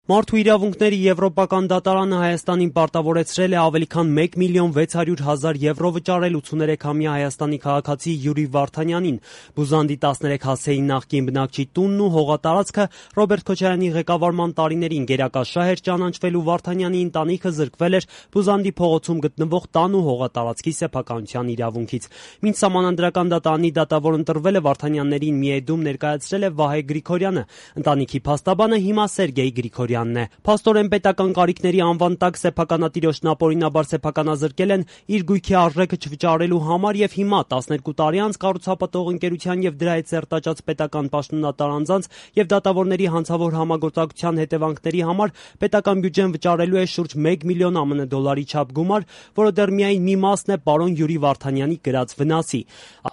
Մարդու իրավունքների եվրոպական դատարանը Հայաստանին պարտավորեցրել է ավելի քան 1 միլիոն 600 հազար եվրո վճարել 83-ամյա Հայաստանի քաղաքացի Յուրի Վարդանյանին։ Բուզանդի 13 հասեի նախկին բնակչի տունն ու հողատարածքը Ռոբերտ Քոչարյանի ղեկավարման տարիներին գերակաշահ էր ճանաչվել ու Վարդանյանի ընտանիքը զրկվել էր Բուզանդի փողոցում գտնվող տան ու հողատարածքի սեփականության իրավունքից։ Մինչ Սահմանադրական դատարանի դատավոր ընտրվել է Վարդանյաններին միեդում ներկայացրել է Վահե Գրիգորյանը։ Ընտանիքի փաստաբանը հիմա Սերգեյ Գրիգորյանն է։ Փաստորեն պետական կարիքների անվան տակ սեփականատիրոջն ապօրինաբար սեփականազրկել են իր գույքի արժեքը չվճարելու համար եւ հիմա 12 տարի անց կառուցապատող ընկերության եւ դրա հետ սերտաճած պետական պաշտոնատար անձանց եւ դատավորների հանցավոր համագործակցության հետևանքների համար պետական բյուջեն վճարելու է շուրջ 1 միլիոն ԱՄՆ դոլարի չափ գումար, որը դեռ միայն մի մասն է պարոն Յուրի Վարդանյանի կրած վնասի։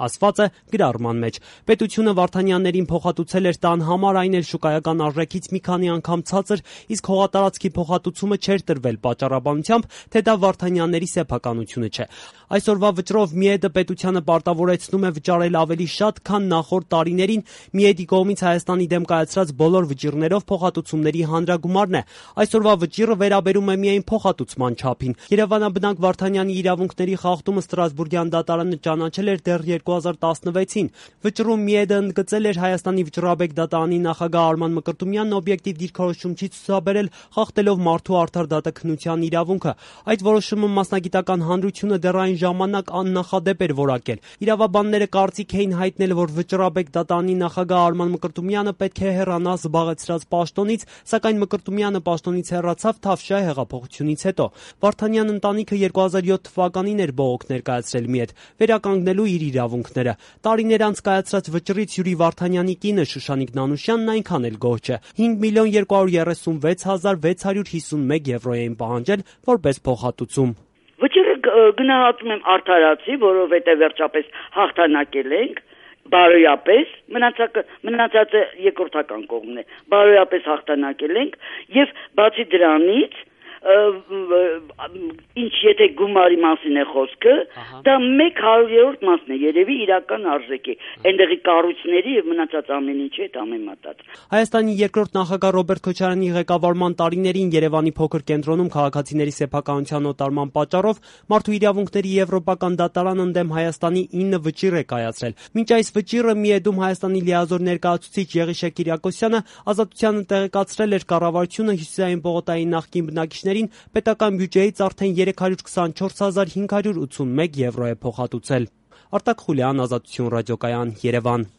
Ասված է գրառման մեջ։ Պետությունը Վարդանյաններին փոխհատուցել էր տան համար, այն էլ շուկայական արժեքից մի քանի անգամ ցածր, իսկ հողատարածքի փոխհատուցումը չէր տրվել պատճառաբանությամբ, թե դա Վարդանյանների սեփականությունը չէ։ Այսօրվա վճռով Միեդը պետությանը պարտավորեցնում է վճարել ավելի շատ, քան նախորդ տարիներին Միեդի կողմից Հայաստանի դեմ կայացրած բոլոր վճիռներով փոխհատուցումների հանրագումարն է։ Այսօրվա վճիռը վերաբերում է միայն փոխհատուցման չափին։ Երևանաբնակ Վարդանյանի իրավունքների խախտումը Ստրասբուրգյան դատարանը ճանաչել էր դեռ 2016-ին։ Վճռում Միեդը ընդգծել էր Հայաստանի վճռաբեկ դատարանի նախագահ Արման Մկրտումյանն օբյեկտիվ դիրքորոշում չի ցուցաբերել, խախտելով մարդու արդար դատաքննության իրավունքը։ Այդ որոշումը մասնագիտական հանրությունը դեռ այն ժամանակ աննախադեպ էր որակել։ Իրավաբանները կարծիք էին հայտնել, որ վճռաբեկ դատարանի նախագահ Արման Մկրտումյանը պետք է հեռանա զբաղեցրած պաշտոնից, սակայն Մկրտումյանը պաշտոնից հեռացավ Թավշյա հեղափոխությունից հետո։ Վարդանյան ընտանիքը 2007 թվականին էր բողոք ներկայացրել Միեդ, վերականգնելու իր իրավունքները։ Տարիներ անց կայացրած վճռից Յուրի Վարդանյանի կինը Շուշանիկ Նանուշյանն այնքան էլ գոհ չէ։ 5 միլիոն 236 հազար 651 եվրո էին պահանջել որպես փոխհատուցում։ Վճիռը գնահատում եմ արդարացի, որովհետև վերջապես հաղթանակել ենք, բարոյապես, մնացածը երկրորդական կողմն է, բարոյապես հաղթանակել ենք եւ բացի դրանից ինչ եթե գումարի մասին է խոսքը, դա 1/100-րդ մասն է, երևի իրական արժեքի, այնտեղի կառույցների եւ մնացած ամեն ինչի հետ համեմատած։ Հայաստանի երկրորդ նախագահ Ռոբերտ Քոչարյանի ղեկավարման տարիներին Երևանի փոքր կենտրոնում քաղաքացիների սեփականության օտարման պատճառով Մարդու իրավունքների եվրոպական դատարան ընդդեմ Հայաստանի 9 վճիռ է կայացրել։ Մինչ այս վճիռը Միեդում Հայաստանի լիազոր ներկայացուցիչ Եղիշե Կիրակոսյանը ազատությանը տեղեկացրել էր կառավարությունը հյուսիսային պողոտայի նախկին բնակիչներին պետական բյուջեից արդեն 324 581 եվրո է փոխհատուցել։ Արտակ Խուլյան, Ազատություն ռադիոկայան, Երևան։